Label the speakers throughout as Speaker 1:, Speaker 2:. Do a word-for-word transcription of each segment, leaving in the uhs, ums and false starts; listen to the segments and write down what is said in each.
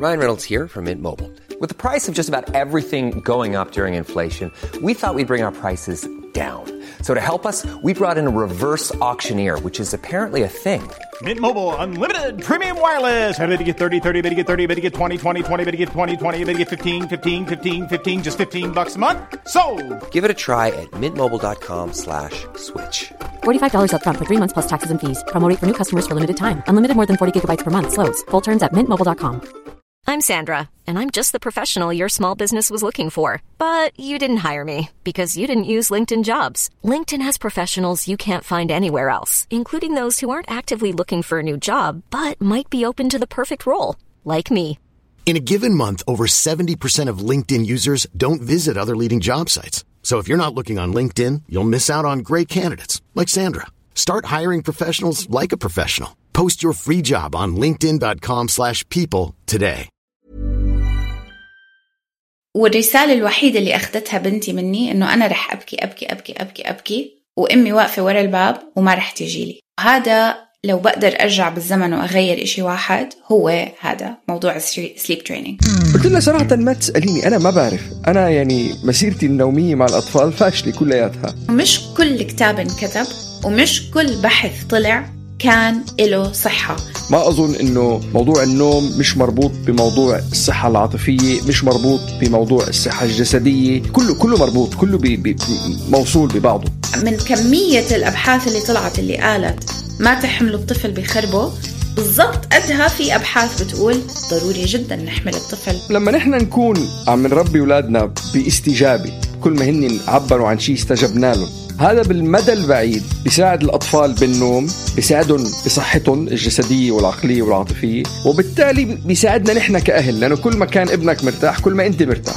Speaker 1: Ryan Reynolds here from Mint Mobile. With the price of just about everything going up during inflation, we thought we'd bring our prices down. So to help us, we brought in a reverse auctioneer, which is apparently a thing.
Speaker 2: Mint Mobile Unlimited Premium Wireless. How to get thirty, thirty, how to get thirty, how to get twenty, twenty, twenty, how to get twenty, twenty, how to get fifteen, fifteen, fifteen, fifteen, just fifteen bucks a month? Sold!
Speaker 1: Give it a try at mintmobile.com slash switch.
Speaker 3: forty-five dollars up front for three months plus taxes and fees. Promo rate for new customers for limited time. Unlimited more than forty gigabytes per month. Slows full terms at mint mobile dot com.
Speaker 4: I'm Sandra, and I'm just the professional your small business was looking for. But you didn't hire me because you didn't use LinkedIn Jobs. LinkedIn has professionals you can't find anywhere else, including those who aren't actively looking for a new job, but might be open to the perfect role, like me.
Speaker 5: In a given month, over seventy percent of LinkedIn users don't visit other leading job sites. So if you're not looking on LinkedIn, you'll miss out on great candidates like Sandra. Start hiring professionals like a professional. Post your free job on linkedin.com slash people today.
Speaker 6: والرسالة الوحيدة اللي أخذتها بنتي مني إنه أنا رح أبكي أبكي أبكي أبكي أبكي وأمي واقفة ورا الباب وما رح تجيلي. هذا لو بقدر أرجع بالزمن وأغير إشي واحد هو هذا موضوع السليب ترينينج.
Speaker 7: قلت لها صراحة ما تسأليني، أنا ما بعرف. أنا يعني مسيرتي النومية مع الأطفال فاشلة كلياتها.
Speaker 6: مش كل كتاب انكتب ومش كل بحث طلع كان له صحة.
Speaker 7: ما أظن إنه موضوع النوم مش مربوط بموضوع الصحة العاطفية، مش مربوط بموضوع الصحة الجسدية، كله كله مربوط، كله بي بي موصول ببعضه.
Speaker 6: من كمية الأبحاث اللي طلعت اللي قالت ما تحملوا الطفل بخربه، بالضبط قدها في أبحاث بتقول ضروري جدا نحمل الطفل.
Speaker 7: لما نحن نكون عم نربي أولادنا باستجابة، كل ما هن عبروا عن شيء استجبنا لهم، هذا بالمدى البعيد بيساعد الأطفال بالنوم، بيساعدهم بصحتهم الجسدية والعقلية والعاطفية، وبالتالي بيساعدنا نحن كأهل، لأنه كل ما كان ابنك مرتاح كل ما أنت مرتاح.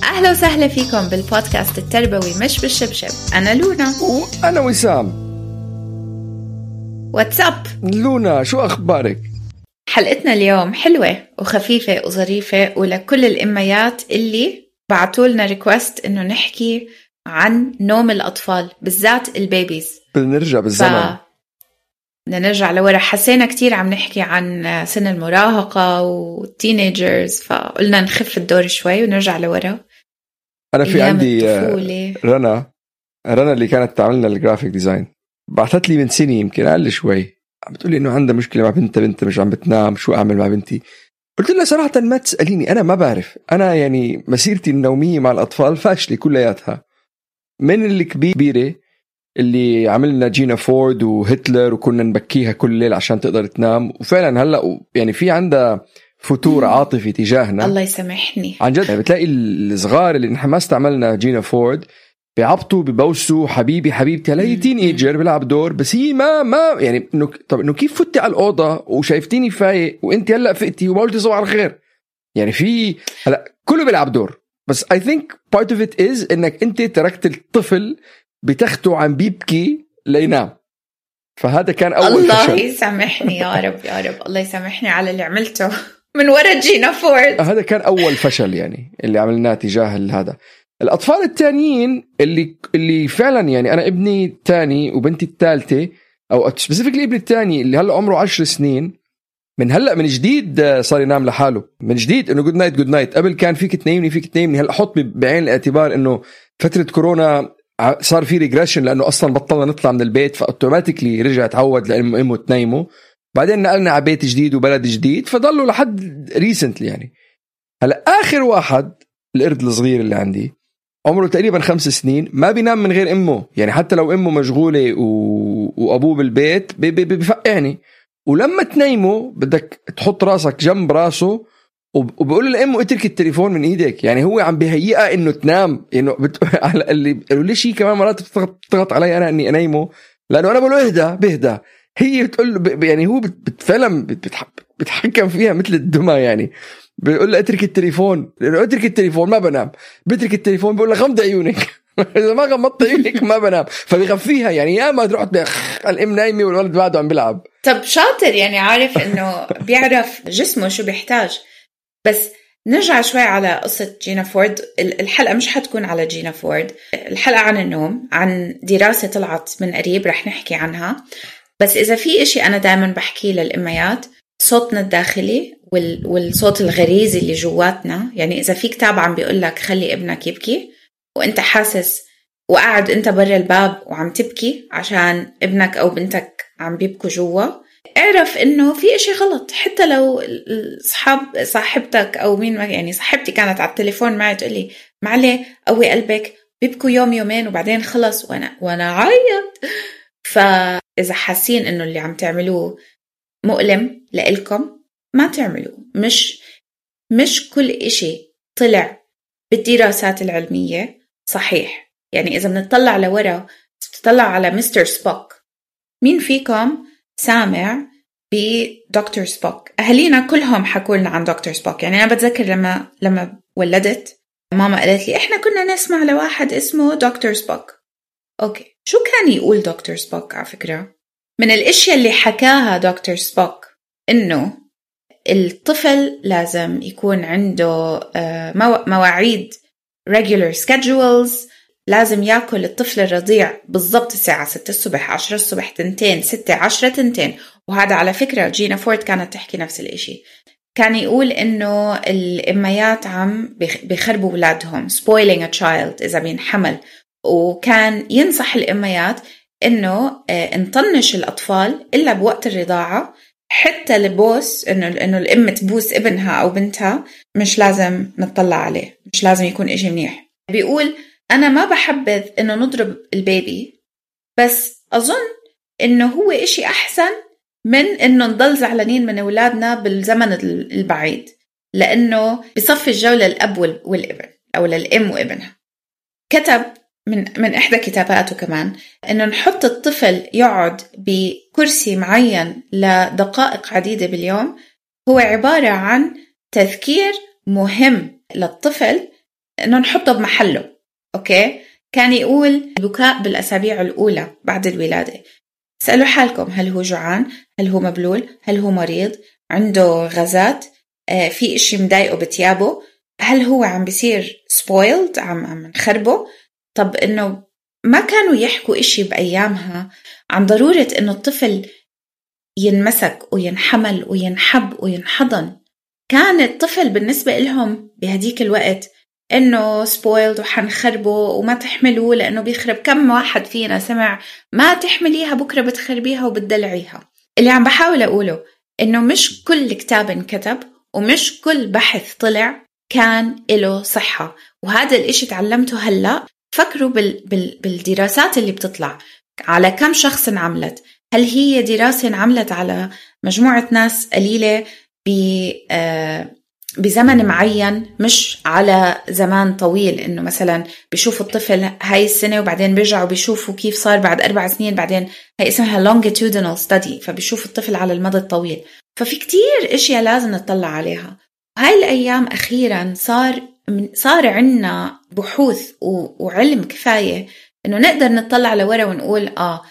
Speaker 6: أهلا وسهلا فيكم بالبودكاست التربوي مش بالشبشب. أنا لونا
Speaker 7: وأنا وسام.
Speaker 6: واتساب
Speaker 7: لونا، شو أخبارك؟
Speaker 6: حلقتنا اليوم حلوة وخفيفة وظريفة، ولكل الأميات اللي بعتولنا ريكوست إنه نحكي عن نوم الأطفال بالذات البيبيز.
Speaker 7: بنرجع بالزمن،
Speaker 6: بدنا نرجع لورا. حسينا كتير عم نحكي عن سن المراهقة والتينيجرز، فقلنا نخف الدور شوي ونرجع لورا.
Speaker 7: أنا في عندي رنا رنا اللي كانت تعملنا الجرافيك ديزاين، بعثت لي من سنة يمكن أقل شوي، عم بتقولي إنه عندها مشكلة مع بنتها، بنتها مش عم بتنام، شو أعمل مع بنتي؟ قلت لها صراحة ما تسأليني، أنا ما بعرف. أنا يعني مسيرتي النومية مع الأطفال فاشلة كلياتها، من الكبيرة اللي عملنا جينا فورد وهتلر وكنا نبكيها كل ليل عشان تقدر تنام، وفعلا هلأ يعني في عندها فتور عاطفي تجاهنا.
Speaker 6: الله يسامحني
Speaker 7: عن جد. يعني بتلاقي الصغار اللي نحن ما استعملنا جينا فورد بيعبطوا ببوسوا حبيبي حبيبتي، هلا هي تين ايجر بيلعب دور، بس هي ما ما يعني انه طب انه كيف فتي على الاوضه وشايفتيني فايق وانت هلا فقتي وما قلتي صباح الخير؟ يعني في هلا كله بيلعب دور، بس I think part of it is انك انت تركت الطفل بتخته عم بيبكي لينام. فهذا كان اول
Speaker 6: الله
Speaker 7: فشل.
Speaker 6: الله يسامحني يا رب يا رب، الله يسامحني على اللي عملته من ورا جينا فورد.
Speaker 7: هذا كان اول فشل يعني اللي عملناه تجاه هذا. الأطفال التانيين اللي اللي فعلا يعني أنا ابني الثاني وبنتي الثالثة، أو سبيسيفيكلي ابني الثاني اللي هلا عمره عشر سنين، من هلا من جديد صار ينام لحاله من جديد، إنه جود نايت جود نايت. قبل كان فيك تنيمني فيك تنيمني، هلا حط بعين الاعتبار إنه فترة كورونا صار في ريجريشن، لأنه أصلا بطلنا نطلع من البيت، فأوتوماتيكلي رجع تعود لأنه أمه تنيمه. بعدين نقلنا على بيت جديد وبلد جديد، فضلوا لحد ريسنتلي يعني. هلا آخر واحد القرد الصغير اللي عندي عمره تقريبا خمس سنين ما بينام من غير أمه، يعني حتى لو أمه مشغولة و... وأبوه بالبيت بفقعني. ولما تنيمه بدك تحط راسك جنب راسه وبقول لأمه اترك التليفون من إيدك، يعني هو عم بهيئة إنه تنام. إنه بت... اللي قالوا لي شيء كمان مرات بتضغط علي أنا إني أنيمه، لأنه أنا بقول له اهدى بهدى، هي بتقول ب... يعني هو بت... فعلا بتح... بتحكم فيها مثل الدمى، يعني بيقول له اترك التليفون، لأنه اترك التليفون ما بنام، بترك التليفون بيقول له غمض عيونك إذا ما غمضت عيونك ما بنام، فبيغفيها يعني. يا ما تروح الأم نايمة والولد بعده عم بيلعب.
Speaker 6: طب شاطر، يعني عارف إنه بيعرف جسمه شو بيحتاج. بس نرجع شوي على قصة جينا فورد. الحلقة مش حتكون على جينا فورد، الحلقة عن النوم، عن دراسة طلعت من قريب رح نحكي عنها. بس إذا في إشي أنا دائما بحكي للأميات، صوتنا الداخلي والصوت الغريزي اللي جواتنا. يعني إذا في كتاب عم بيقول لك خلي ابنك يبكي وانت حاسس وقاعد انت برا الباب وعم تبكي عشان ابنك او بنتك عم بيبكوا جوا، اعرف انه في اشي غلط. حتى لو صحاب صاحبتك او مين، يعني صاحبتي كانت على التليفون معي تقولي معلي قوي قلبك بيبكوا يوم يومين وبعدين خلص وانا وانا عيط. فاذا حاسين انه اللي عم تعملوه مؤلم لإلكم ما تعملوه. مش مش كل اشي طلع بالدراسات العلمية صحيح. يعني إذا بنطلع لورا بتطلع على مستر سبوك، مين فيكم سامع بدكتور سبوك؟ أهلينا كلهم حكوا لنا عن دكتور سبوك. يعني أنا بتذكر لما لما ولدت ماما قالت لي إحنا كنا نسمع لواحد اسمه دكتور سبوك. أوكي، شو كان يقول دكتور سبوك؟ على فكرة من الاشياء اللي حكاها دكتور سبوك إنه الطفل لازم يكون عنده مواعيد regular schedules، لازم يأكل الطفل الرضيع بالضبط الساعة ستة الصبح، عشرة الصبح، تنتين، ستة، عشرة، تنتين. وهذا على فكرة جينا فورد كانت تحكي نفس الاشي. كان يقول إنه الأميات عم بيخربوا أولادهم spoiling a child إذا بينحمل. وكان ينصح الأميات إنه نطنش الأطفال إلا بوقت الرضاعة، حتى لبوس إنه إنه الأم تبوس ابنها أو بنتها مش لازم نطلع عليه، مش لازم يكون إشي منيح. بيقول أنا ما بحبذ إنه نضرب البيبي، بس أظن إنه هو إشي أحسن من إنه نضل زعلانين من أولادنا بالزمن البعيد، لأنه بصفي الجولة الأب والابن أو للأم وابنها. كتب من من إحدى كتاباته كمان إنه نحط الطفل يقعد بكرسي معين لدقائق عديدة باليوم هو عبارة عن تذكير مهم للطفل إنه نحطه بمحله. أوكي، كان يقول البكاء بالأسابيع الأولى بعد الولادة. سألوا حالكم هل هو جوعان؟ هل هو مبلول؟ هل هو مريض؟ عنده غازات؟ آه في إشي مضايقه بتيابه؟ هل هو عم بيصير spoiled؟ عم عم نخربه؟ طب إنه ما كانوا يحكوا إشي بأيامها عن ضرورة إنه الطفل ينمسك وينحمل وينحب وينحضن. كان الطفل بالنسبة لهم بهديك الوقت إنه spoiled وحنخربه وما تحملوه لأنه بيخرب. كم واحد فينا سمع ما تحمليها بكرة بتخربيها وبتدلعيها؟ اللي عم بحاول أقوله إنه مش كل كتاب انكتب ومش كل بحث طلع كان له صحة. وهذا الإشي تعلمته هلأ. فكروا بال بال بالدراسات اللي بتطلع على كم شخص انعملت. هل هي دراسة انعملت على مجموعة ناس قليلة بزمن معين، مش على زمان طويل؟ إنه مثلا بيشوفوا الطفل هاي السنة وبعدين بيرجعوا بيشوفوا كيف صار بعد أربع سنين، بعدين هاي اسمها longitudinal study، فبيشوفوا الطفل على المدى الطويل. ففي كتير اشياء لازم نطلع عليها. هاي الأيام أخيرا صار صار عنا بحوث وعلم كفاية إنه نقدر نطلع لورا ونقول آه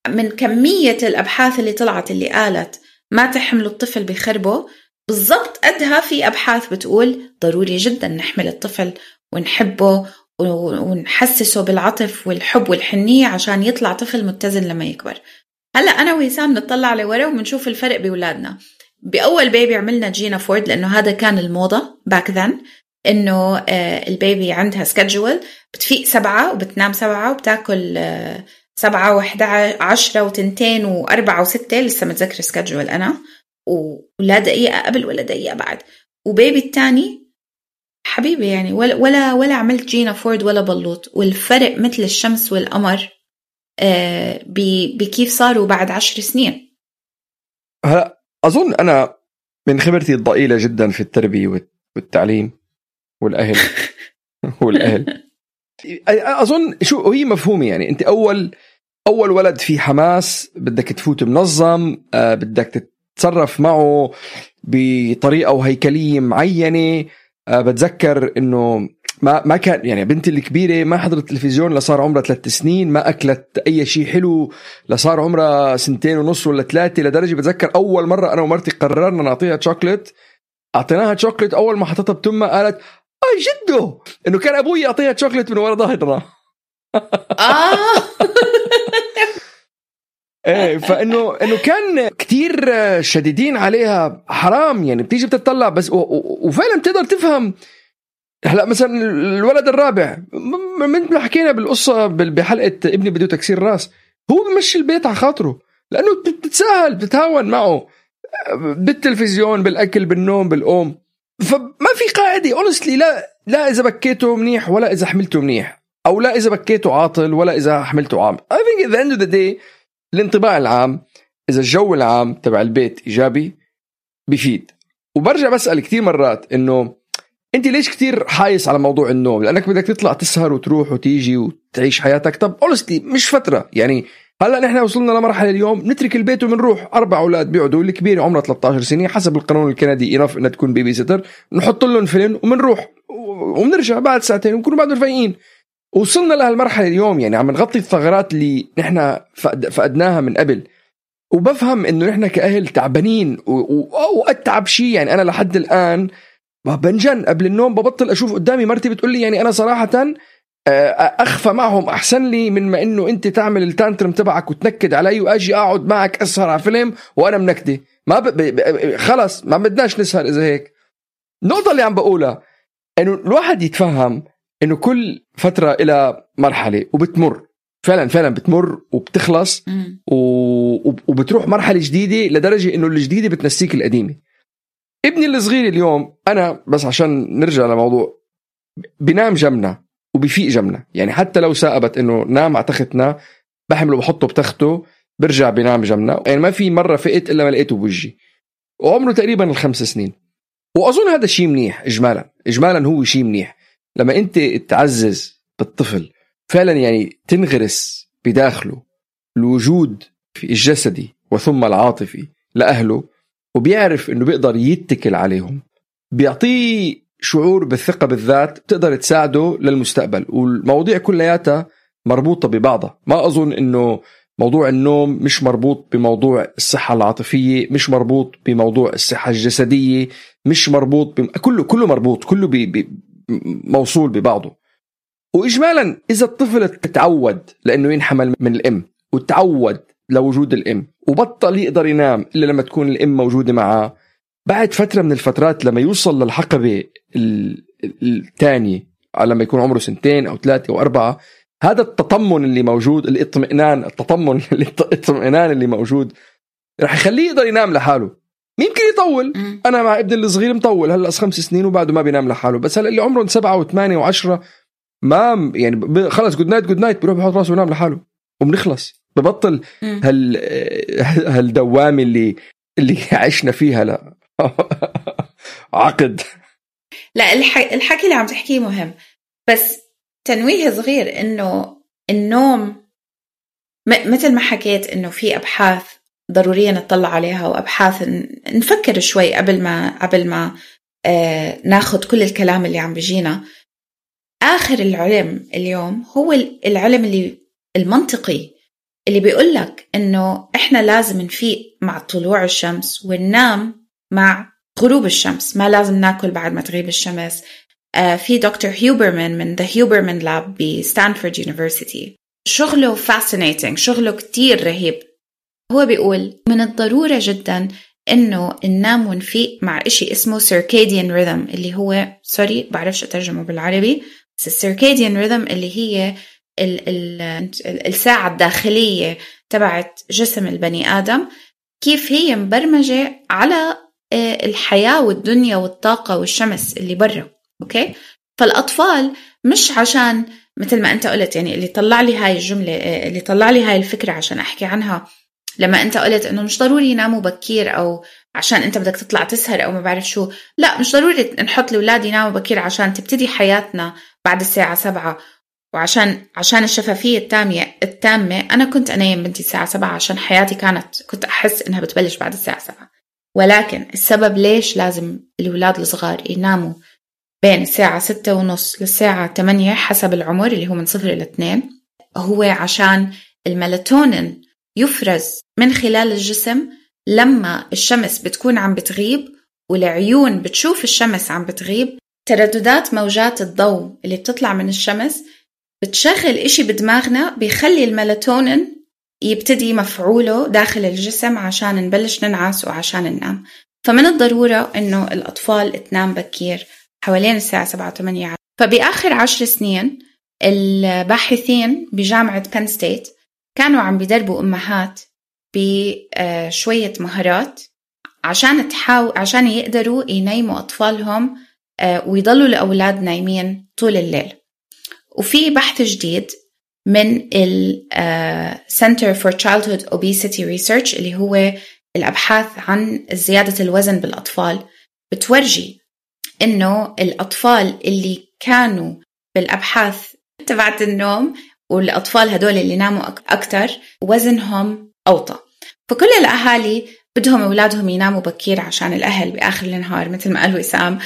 Speaker 6: من كمية الأبحاث اللي طلعت اللي قالت ما تحملوا الطفل بخربه بالضبط قدها في أبحاث بتقول ضروري جدا نحمل الطفل ونحبه ونحسسه بالعطف والحب والحنية عشان يطلع طفل متزن لما يكبر. هلأ أنا ويسام نطلع لورا ومنشوف الفرق بأولادنا. بأول بيبي عملنا جينا فورد لأنه هذا كان الموضة باك ذن، إنه البيبي عندها سكادجول، بتفيق سبعة وبتنام سبعة وبتاكل سبعة وحدة عشرة وتنتين وأربعة وستة، لسه متذكر سكادجول أنا، ولا دقيقة قبل ولا دقيقة بعد. وبيبي التاني حبيبي يعني ولا ولا ولا عملت جينا فورد ولا بلوط، والفرق مثل الشمس والقمر بكيف صاروا بعد عشر سنين.
Speaker 7: هلا أظن أنا من خبرتي الضئيلة جدا في التربية والتعليم والأهل والأهل أظن شو هي مفهومة. يعني أنت أول أول ولد في حماس، بدك تفوت منظم، بدك تتصرف معه بطريقة وهيكلية معينة. بتذكر إنه ما ما كان يعني بنتي الكبيرة ما حضرت التلفزيون لصار عمرها ثلاث سنين، ما أكلت أي شيء حلو لصار عمرها سنتين ونص ولا ثلاثة. لدرجة بتذكر أول مرة أنا ومرتي قررنا نعطيها شوكولات، أعطيناها شوكولات، أول ما حطتها بتمها قالت آه جده إنه كان أبوي يعطيها شوكولات من ورا ظهرنا.
Speaker 6: آه
Speaker 7: ايه فانه انه كان كتير شديدين عليها، حرام يعني. بتيجي بتطلع بس و... و... وفعلا بتقدر تفهم. هلا مثلا الولد الرابع من ما حكينا بالقصه بحلقه ابني بده تكسير راس، هو بمشي البيت على خاطره لانه بتتساهل بتتهاون معه بالتلفزيون بالاكل بالنوم بالقوم. فما في قاعده اونستلي، لا لا اذا بكيته منيح ولا اذا حملته منيح، او لا اذا بكيته عاطل ولا اذا حملته عام. I think at the end of the day الانطباع العام، اذا الجو العام تبع البيت ايجابي بيفيد. وبرجع بسأل كتير مرات انه انت ليش كتير حايس على موضوع النوم؟ لانك بدك تطلع تسهر وتروح وتيجي وتعيش حياتك. طب honestly مش فترة يعني. هلا نحن وصلنا لمرحله اليوم نترك البيت وبنروح، اربع اولاد بيقعدوا، الكبير عمره ثلاثة عشر سنه حسب القانون الكندي ينف انها تكون بيبي سيتر، نحط لهم فيلم وبنروح وبنرجع بعد ساعتين ونكونوا بعد رفيقين. وصلنا لهالمرحله اليوم يعني عم نغطي الثغرات اللي نحن فقدناها من قبل. وبفهم انه نحن كاهل تعبانين واتعب شيء يعني. انا لحد الان بنجن قبل النوم ببطل اشوف قدامي مرتي بتقول لي يعني انا صراحه أخفى معهم أحسن لي من ما إنه أنت تعمل التانترم تبعك وتنكد علي وأجي أقعد معك أسهر على فيلم وأنا منكدة. ما ب... ب... خلص ما بدناش نسهر إذا هيك. النقطة اللي عم بقولها إنه الواحد يتفهم إنه كل فترة إلى مرحلة وبتمر فعلا فعلا بتمر وبتخلص و... وبتروح مرحلة جديدة لدرجة إنه الجديدة بتنسيك القديمة. ابني الصغير اليوم أنا بس عشان نرجع لموضوع بنام جمنا وبيفيق جمنا يعني. حتى لو سأبت انه نام على تختنا بحمله بحطه بتخته برجع بينام جمنا يعني. ما في مرة فقت الا ما لقيته بوجهي. وعمره تقريبا الخمس سنين. واظن هذا شيء منيح اجمالا. اجمالا هو شيء منيح لما انت تعزز بالطفل فعلا يعني، تنغرس بداخله الوجود في الجسدي وثم العاطفي لأهله، وبيعرف انه بيقدر يتكل عليهم، بيعطيه شعور بالثقة بالذات بتقدر تساعده للمستقبل. والمواضيع كلياتها مربوطة ببعضها. ما أظن إنه موضوع النوم مش مربوط بموضوع الصحة العاطفية، مش مربوط بموضوع الصحة الجسدية، مش مربوط بم... كله كله مربوط، كله بي... بي... موصول ببعضه. وإجمالا إذا الطفل تتعود لأنه ينحمل من الأم وتعود لوجود الأم وبطل يقدر ينام إلا لما تكون الأم موجودة معه، بعد فترة من الفترات لما يوصل للحقبة الثانية لما يكون عمره سنتين أو ثلاثة أو أربعة، هذا التطمن اللي موجود، الاطمئنان التطمن الاطمئنان اللي موجود رح يخليه يقدر ينام لحاله. ممكن يطول. أنا مع ابن الصغير مطول هلأ خمس سنين وبعده ما بينام لحاله. بس هلأ اللي عمره سبعة وثمانية وعشرة ما يعني خلص جود نايت جود نايت بيروح بيحط راسه وينام لحاله وبنخلص. ببطل هال هالدوامة اللي اللي عشنا فيها. لا عقد.
Speaker 6: لا الح... الحكي اللي عم تحكيه مهم، بس تنويه صغير انه النوم م... مثل ما حكيت انه في ابحاث ضرورية نطلع عليها وابحاث ن... نفكر شوي قبل ما قبل ما آه... ناخد كل الكلام اللي عم بيجينا. اخر العلم اليوم هو العلم اللي المنطقي اللي بيقولك انه احنا لازم نفيق مع طلوع الشمس وننام مع غروب الشمس، ما لازم ناكل بعد ما تغيب الشمس. آه في دكتور هيوبرمان من The Huberman Lab بستانفورد يونيفرسيتي، شغله fascinating، شغله كتير رهيب. هو بيقول من الضرورة جدا انه ننام ونفيق مع اشي اسمه circadian rhythm، اللي هو سوري بعرفش اترجمه بالعربي، بس circadian rhythm اللي هي ال ال الساعة الداخلية تبعت جسم البني آدم، كيف هي مبرمجة على الحياة والدنيا والطاقة والشمس اللي برا. أوكي، فالأطفال مش عشان مثل ما أنت قلت يعني اللي طلع لي هاي الجملة، اللي طلع لي هاي الفكرة عشان أحكي عنها لما أنت قلت إنه مش ضروري يناموا بكير أو عشان أنت بدك تطلع تسهر أو ما بعرف شو. لا، مش ضروري نحط لأولاد يناموا بكير عشان تبتدي حياتنا بعد الساعة سبعة، وعشان عشان الشفافية التامة التامة أنا كنت أنام بنتي الساعة سبعة عشان حياتي كانت كنت أحس إنها بتبلش بعد الساعة سبعة. ولكن السبب ليش لازم الأولاد الصغار يناموا بين الساعة ستة ونص للساعة ثمانية حسب العمر اللي هو من صفر إلى اثنين، هو عشان الميلاتونين يفرز من خلال الجسم لما الشمس بتكون عم بتغيب والعيون بتشوف الشمس عم بتغيب. ترددات موجات الضوء اللي بتطلع من الشمس بتشغل إشي بدماغنا بيخلي الميلاتونين يبتدي مفعوله داخل الجسم عشان نبلش ننعس وعشان ننام. فمن الضرورة إنه الأطفال تنام بكير حوالين الساعة سبعة وثمانية. فبآخر عشر سنين الباحثين بجامعة بين ستيت كانوا عم بيدربوا أمهات بشوية مهارات عشان تحاول عشان يقدروا ينيموا أطفالهم ويضلوا الأولاد نايمين طول الليل. وفي بحث جديد من ال Center for Childhood Obesity Research اللي هو الأبحاث عن زيادة الوزن بالأطفال بتورجي إنه الأطفال اللي كانوا بالأبحاث تبعت النوم والأطفال هدول اللي ناموا أكتر وزنهم أوطى. فكل الأهالي بدهم أولادهم يناموا بكير عشان الأهل بآخر النهار مثل ما قال وسام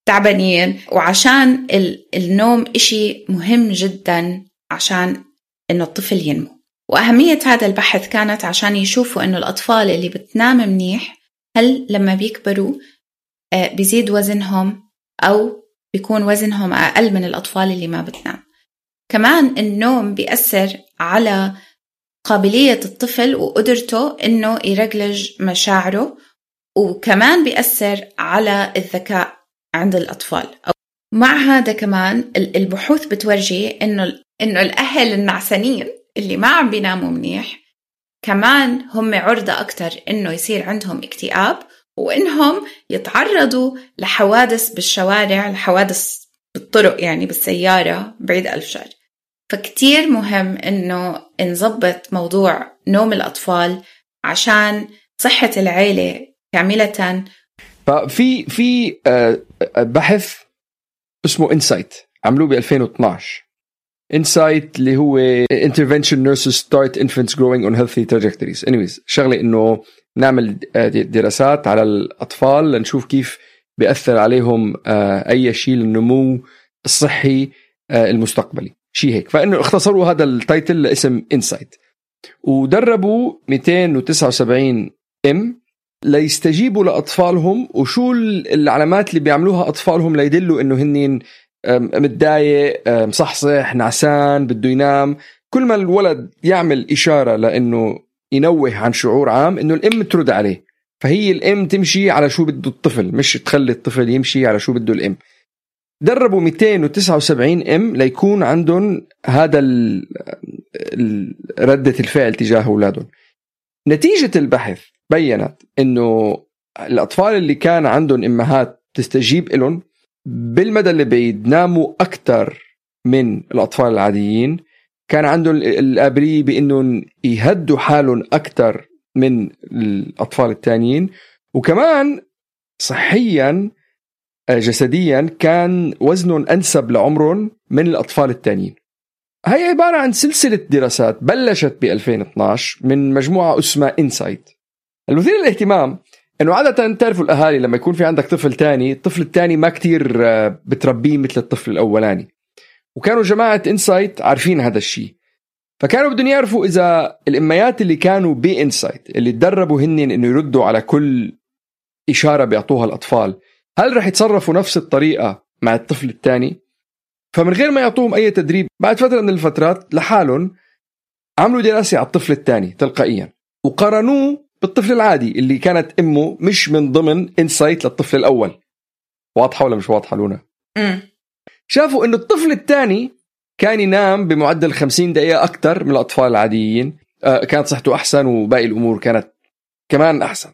Speaker 6: تعبانين، وعشان النوم إشي مهم جدا عشان إنه الطفل ينمو. وأهمية هذا البحث كانت عشان يشوفوا إنه الأطفال اللي بتنام منيح هل لما بيكبروا بيزيد وزنهم أو بيكون وزنهم أقل من الأطفال اللي ما بتنام. كمان النوم بيأثر على قابلية الطفل وقدرته إنه يرجلج مشاعره، وكمان بيأثر على الذكاء عند الأطفال. مع هذا كمان البحوث بتورجي إنه إنه الأهل النعسانين اللي ما عم بيناموا منيح كمان هم عرضة أكتر إنه يصير عندهم اكتئاب وإنهم يتعرضوا لحوادث بالشوارع، لحوادث بالطرق يعني بالسيارة بعيد ألف شر. فكتير مهم إنه نظبط موضوع نوم الأطفال عشان صحة العيلة كاملة.
Speaker 7: ففي في بحث اسمه إنسايت عملوه ب ألفين واثناشر. إنسايت اللي هو Intervention Nurses Start Infants Growing on Healthy Trajectories. anyways شغلة إنه نعمل دراسات على الأطفال لنشوف كيف بيأثر عليهم أي شيء للنمو الصحي المستقبلي، شيء هيك. فإنه اختصروا هذا التايتل لاسم إنسايت، ودربوا مئتين وتسعة وسبعين إم ليستجيبوا لأطفالهم وشو العلامات اللي بيعملوها أطفالهم ليدلوا إنه هنين متضايق، مصحصح، نعسان، بده ينام. كل ما الولد يعمل إشارة لأنه ينوه عن شعور عام إنه الأم ترد عليه. فهي الأم تمشي على شو بده الطفل، مش تخلي الطفل يمشي على شو بده الأم. دربوا مئتين وتسعة وسبعين إم ليكون عندهم هذا ردة الفعل تجاه أولادهم. نتيجة البحث بيّنت إنه الأطفال اللي كان عندهم إمهات تستجيب لهم بالمدى اللي بيناموا أكتر من الأطفال العاديين. كان عندهم القابلية بأنهم يهدوا حالهم أكتر من الأطفال التانيين، وكمان صحيا جسديا كان وزنهم أنسب لعمرهم من الأطفال التانيين. هي عبارة عن سلسلة دراسات بلشت ب ألفين واثناشر من مجموعة اسمها إنسايت. المثير للاهتمام انه عادة تعرفوا الاهالي لما يكون في عندك طفل تاني، الطفل التاني ما كتير بتربيه مثل الطفل الاولاني، وكانوا جماعة إنسايت عارفين هذا الشيء. فكانوا بدهم يعرفوا اذا الاميات اللي كانوا بإنسايت اللي تدربوا هنن انه يردوا على كل اشارة بيعطوها الاطفال هل رح يتصرفوا نفس الطريقة مع الطفل التاني. فمن غير ما يعطوهم اي تدريب، بعد فترة من الفترات لحالهم عملوا دراسة على الطفل التاني تلقائيا وقارنوه بالطفل العادي اللي كانت أمه مش من ضمن إنسايت للطفل الأول. واضحة ولا مش واضحة لونا؟
Speaker 6: م.
Speaker 7: شافوا إنه الطفل الثاني كان ينام بمعدل خمسين دقيقة أكتر من الأطفال العاديين، آه كانت صحته أحسن وباقي الأمور كانت كمان أحسن.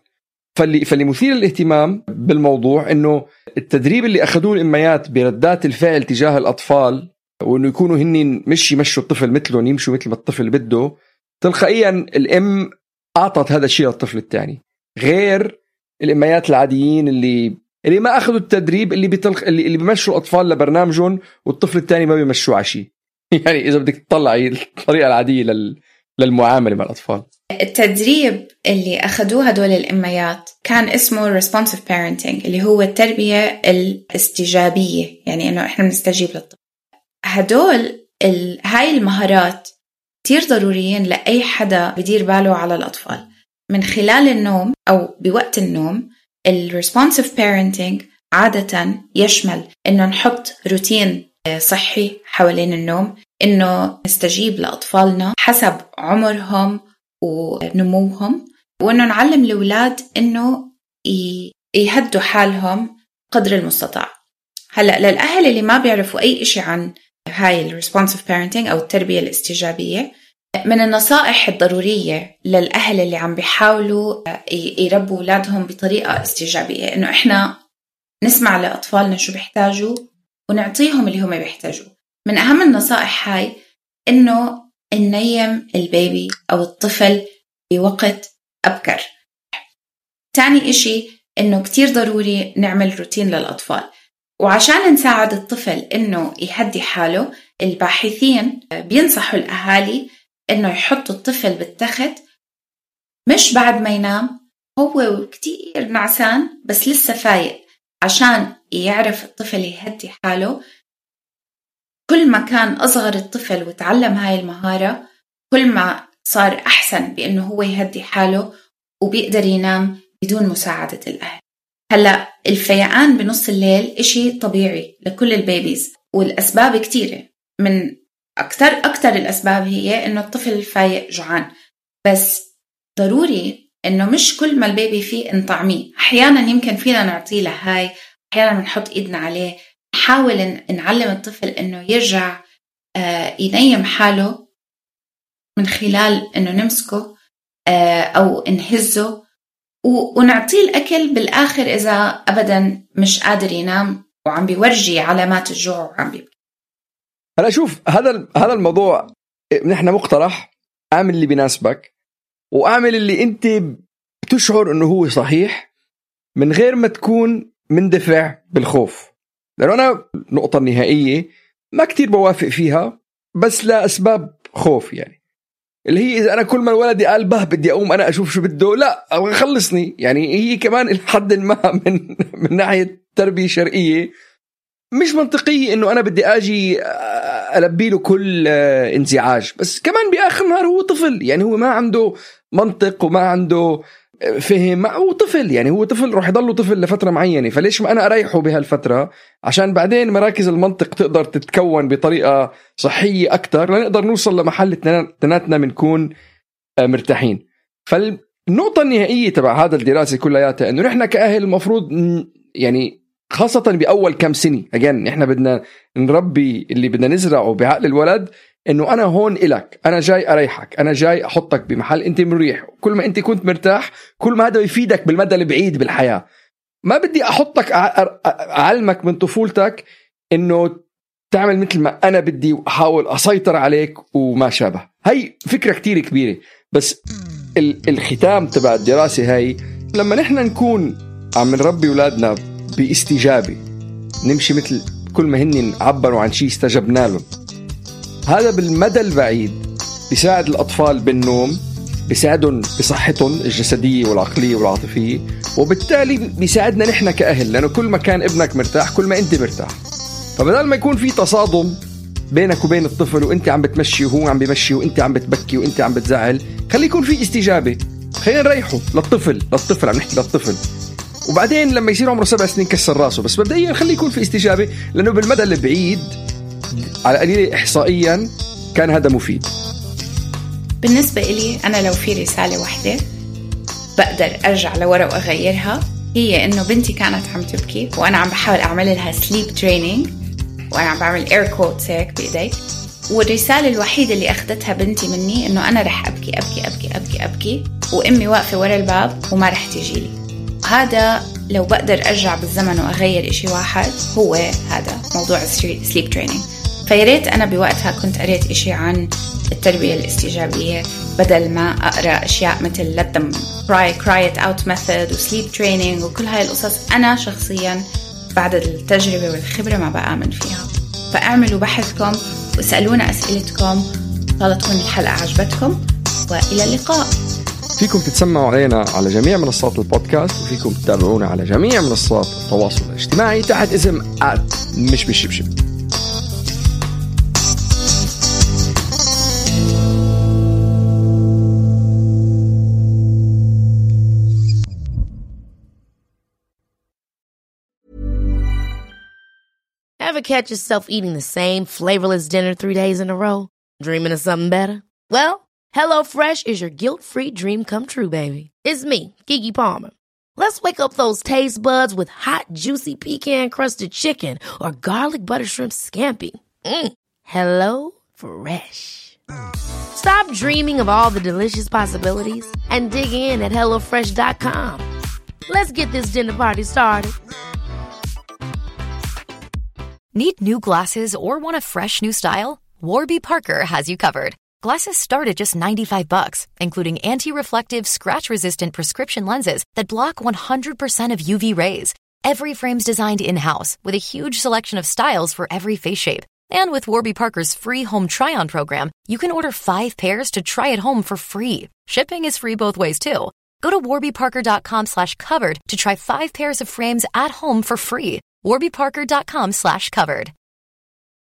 Speaker 7: فاللي, فاللي مثير للاهتمام بالموضوع إنه التدريب اللي أخذوه الأميات بردات الفعل تجاه الأطفال، وإنه يكونوا هنين مش يمشوا الطفل مثلهم، يمشوا مثل ما الطفل بده، تلقائيا الأم أعطت هذا الشيء للطفل الثاني، غير الأميات العاديين اللي اللي ما أخذوا التدريب اللي بتلق... اللي اللي بيمشوا الأطفال لبرنامجهم والطفل الثاني ما بيمشوا عشي. يعني إذا بدك تطلعي الطريقة العادية لل... للمعاملة مع الأطفال.
Speaker 6: التدريب اللي أخذوه هدول الأميات كان اسمه responsive parenting، اللي هو التربية الاستجابية، يعني إنه إحنا بنستجيب للطفل. هدول ال... هاي المهارات كتير ضروريين لأي حدا بدير باله على الأطفال. من خلال النوم أو بوقت النوم، ال responsive parenting عادة يشمل إنه نحط روتين صحي حوالين النوم، إنه نستجيب لأطفالنا حسب عمرهم ونموهم، وإنه نعلم الأولاد إنه يهدوا حالهم قدر المستطاع. هلأ للأهل اللي ما بيعرفوا أي إشي عن هاي ال responsive parenting أو التربية الاستجابية، من النصائح الضرورية للأهل اللي عم بيحاولوا يربوا أولادهم بطريقة استجابية إنه إحنا نسمع لأطفالنا شو بيحتاجوا ونعطيهم اللي هم بيحتاجوا. من أهم النصائح هاي إنه ننيم البيبي أو الطفل بوقت أبكر. تاني إشي إنه كتير ضروري نعمل روتين للأطفال، وعشان نساعد الطفل إنه يهدي حاله الباحثين بينصحوا الأهالي إنه يحطوا الطفل بالتخت مش بعد ما ينام، هو كتير نعسان بس لسه فايق، عشان يعرف الطفل يهدي حاله. كل ما كان أصغر الطفل وتعلم هاي المهارة كل ما صار أحسن بأنه هو يهدي حاله وبيقدر ينام بدون مساعدة الأهل. هلأ الفيقان بنص الليل إشي طبيعي لكل البيبيز، والأسباب كتيرة. من أكتر أكتر الأسباب هي إنه الطفل فايق جوعان، بس ضروري إنه مش كل ما البيبي فيه نطعميه. أحيانا يمكن فينا نعطيه لهاي، أحيانا بنحط إيدنا عليه، نحاول نعلم الطفل إنه يرجع ينيم حاله من خلال إنه نمسكه أو نهزه ونعطيه الأكل بالآخر إذا أبدا مش قادر ينام وعم بيورجي علامات الجوع وعم بيبكي.
Speaker 7: هلا شوف، هذا هذا الموضوع نحن مقترح اعمل اللي بيناسبك واعمل اللي انت بتشعر انه هو صحيح من غير ما تكون مندفع بالخوف. لأنه أنا النقطة النهائية ما كتير بوافق فيها بس لأسباب خوف، يعني اللي هي إذا أنا كل ما ولدي قال به بدي أقوم أنا أشوف شو بده، لا خلصني. يعني هي كمان الحد ما من من ناحية تربية شرعية مش منطقية إنه أنا بدي أجي ألبي له كل انزعاج، بس كمان بآخر النهار هو طفل، يعني هو ما عنده منطق وما عنده فهم، هو طفل، يعني هو طفل روح يضله طفل لفترة معينة. فليش ما أنا أريحه بهالفترة عشان بعدين مراكز المنطق تقدر تتكون بطريقة صحية أكتر لنقدر نوصل لمحل تناتنا منكون مرتاحين. فالنقطة النهائية تبع هذا الدراسة كلياتها إنه نحن كأهل المفروض يعني خاصة بأول كم سنة أجان نحن بدنا نربي اللي بدنا نزرعه بعقل الولد إنه أنا هون إلك، أنا جاي أريحك، أنا جاي أحطك بمحل أنت مريح. كل ما أنت كنت مرتاح كل ما هذا يفيدك بالمدى البعيد بالحياة. ما بدي أحطك أعلمك من طفولتك إنه تعمل مثل ما أنا بدي وأحاول أسيطر عليك وما شابه. هاي فكرة كتير كبيرة، بس الختام تبع الدراسة هاي لما نحن نكون عم نربي أولادنا باستجابة، نمشي مثل كل ما هن عبروا عن شيء استجبنا لهم، هذا بالمدى البعيد بيساعد الأطفال بالنوم، بيساعدهم بصحتهم الجسدية والعقلية والعاطفية، وبالتالي بيساعدنا نحن كأهل، لأنه كل ما كان ابنك مرتاح كل ما أنت مرتاح. فبدل ما يكون في تصادم بينك وبين الطفل وأنت عم بتمشي وهو عم بيمشي وأنت عم بتبكي وأنت عم بتزعل، خلي يكون في استجابة، خلينا نريحه للطفل للطفل عم نحكي للطفل. وبعدين لما يصير عمره سبع سنين كسر راسه، بس مبدئيا خلي يكون في استجابة، لأنه بالمدى البعيد على قليل إحصائيا كان هذا مفيد.
Speaker 6: بالنسبة إلي أنا لو في رسالة واحدة بقدر أرجع لورا وأغيرها، هي إنه بنتي كانت عم تبكي وأنا عم بحاول أعمل لها sleep training وأنا عم بعمل air quotes هيك بإيدي، والرسالة الوحيدة اللي أخذتها بنتي مني إنه أنا رح أبكي أبكي أبكي أبكي أبكي وأمي واقفة ورا الباب وما رح تجيلي. هذا لو بقدر أرجع بالزمن وأغير إشي واحد هو هذا موضوع sleep training. فياريت أنا بوقتها كنت قريت إشي عن التربية الاستجابية بدل ما أقرأ أشياء مثل let them cry cry it out method و sleep training وكل هاي القصص. أنا شخصيا بعد التجربة والخبرة ما بآمن فيها. فأعملوا بحثكم واسألونا أسئلتكم. طالت تكون الحلقة عجبتكم، وإلى اللقاء.
Speaker 7: فيكم تتسمعوا علينا على جميع منصات البودكاست، وفيكم تتابعونا على جميع منصات التواصل الاجتماعي تحت اسم آت مش بالشبشب.
Speaker 8: Ever catch yourself eating the same flavorless dinner three days in a row? Dreaming of something better? Well, HelloFresh is your guilt-free dream come true, baby. It's me, Keke Palmer. Let's wake up those taste buds with hot, juicy pecan-crusted chicken or garlic butter shrimp scampi. Mm. Hello Fresh. Stop dreaming of all the delicious possibilities and dig in at hello fresh dot com. Let's get this dinner party started.
Speaker 9: Need new glasses or want a fresh new style? Warby Parker has you covered. Glasses start at just ninety-five bucks, including anti-reflective, scratch-resistant prescription lenses that block one hundred percent of U V rays. Every frame's designed in-house with a huge selection of styles for every face shape. And with Warby Parker's free home try-on program, you can order five pairs to try at home for free. Shipping is free both ways, too. Go to warby parker dot com slash covered to try five pairs of frames at home for free. warby parker dot com slash covered.